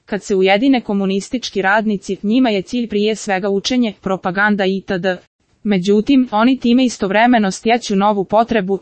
Kad se ujedine komunistički radnici, njima je cilj prije svega učenje, propaganda itd. Međutim, oni time istovremeno stječu novu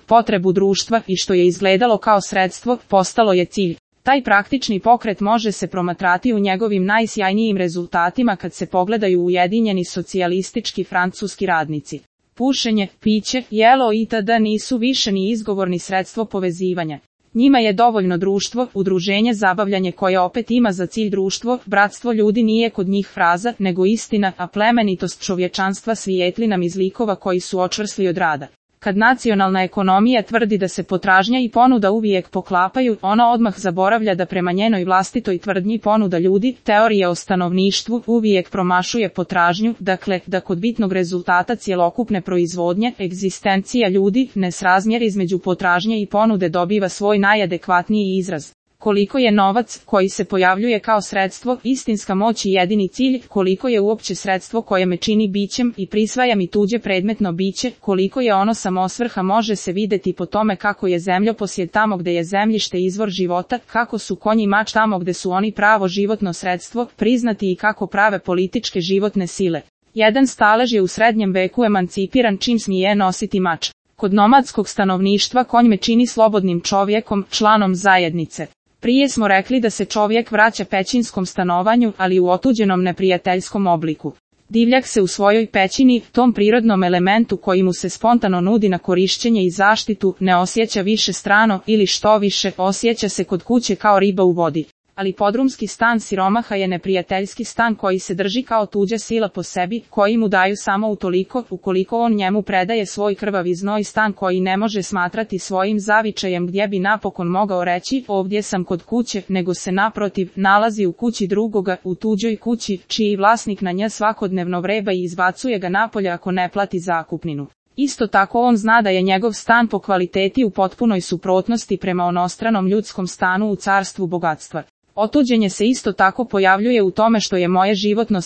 potrebu društva i što je izgledalo kao sredstvo, postalo je cilj. Taj praktični pokret može se promatrati u njegovim najsjajnijim rezultatima kad se pogledaju ujedinjeni socijalistički francuski radnici. Pušenje, piće, jelo itd. Nisu više ni izgovor ni sredstvo povezivanja. Njima je dovoljno društvo, udruženje, zabavljanje koje opet ima za cilj društvo, bratstvo ljudi nije kod njih fraza, nego istina, a plemenitost čovječanstva svijetli nam iz likova koji su očvrsli od rada. Kad nacionalna ekonomija tvrdi da se potražnja i ponuda uvijek poklapaju, ona odmah zaboravlja da prema njenoj vlastitoj tvrdnji ponuda ljudi, teorija o stanovništvu, uvijek promašuje potražnju, dakle, da kod bitnog rezultata cjelokupne proizvodnje, egzistencija ljudi, nesrazmjer između potražnje i ponude dobiva svoj najadekvatniji izraz. Koliko je novac, koji se pojavljuje kao sredstvo, istinska moć i jedini cilj, koliko je uopće sredstvo koje me čini bićem i prisvaja mi tuđe predmetno biće, koliko je ono samosvrha može se vidjeti po tome kako je zemljoposjed tamo gdje je zemljište izvor života, kako su konji i mač tamo gdje su oni pravo životno sredstvo, priznati i kako prave političke životne sile. Jedan stalež je u srednjem veku emancipiran čim smije nositi mač. Kod nomadskog stanovništva konj me čini slobodnim čovjekom, članom zajednice. Prije smo rekli da se čovjek vraća pećinskom stanovanju, ali u otuđenom neprijateljskom obliku. Divljak se u svojoj pećini, tom prirodnom elementu koji mu se spontano nudi na korišćenje i zaštitu, ne osjeća više strano ili što više, osjeća se kod kuće kao riba u vodi. Ali podrumski stan siromaha je neprijateljski stan koji se drži kao tuđa sila po sebi, koji mu daju samo utoliko, ukoliko on njemu predaje svoj krvavi znoj, stan koji ne može smatrati svojim zavičajem gdje bi napokon mogao reći ovdje sam kod kuće, nego se naprotiv nalazi u kući drugoga, u tuđoj kući, čiji vlasnik na nje svakodnevno vreba i izbacuje ga napolje ako ne plati zakupninu. Isto tako on zna da je njegov stan po kvaliteti u potpunoj suprotnosti prema onostranom ljudskom stanu u carstvu bogatstva. Otuđenje se isto tako pojavljuje u tome što je moje životno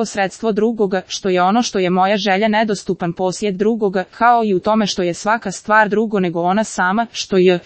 sredstvo drugoga, što je ono što je moja želja nedostupan posjed drugoga, kao i u tome što je svaka stvar drugo nego ona sama, što je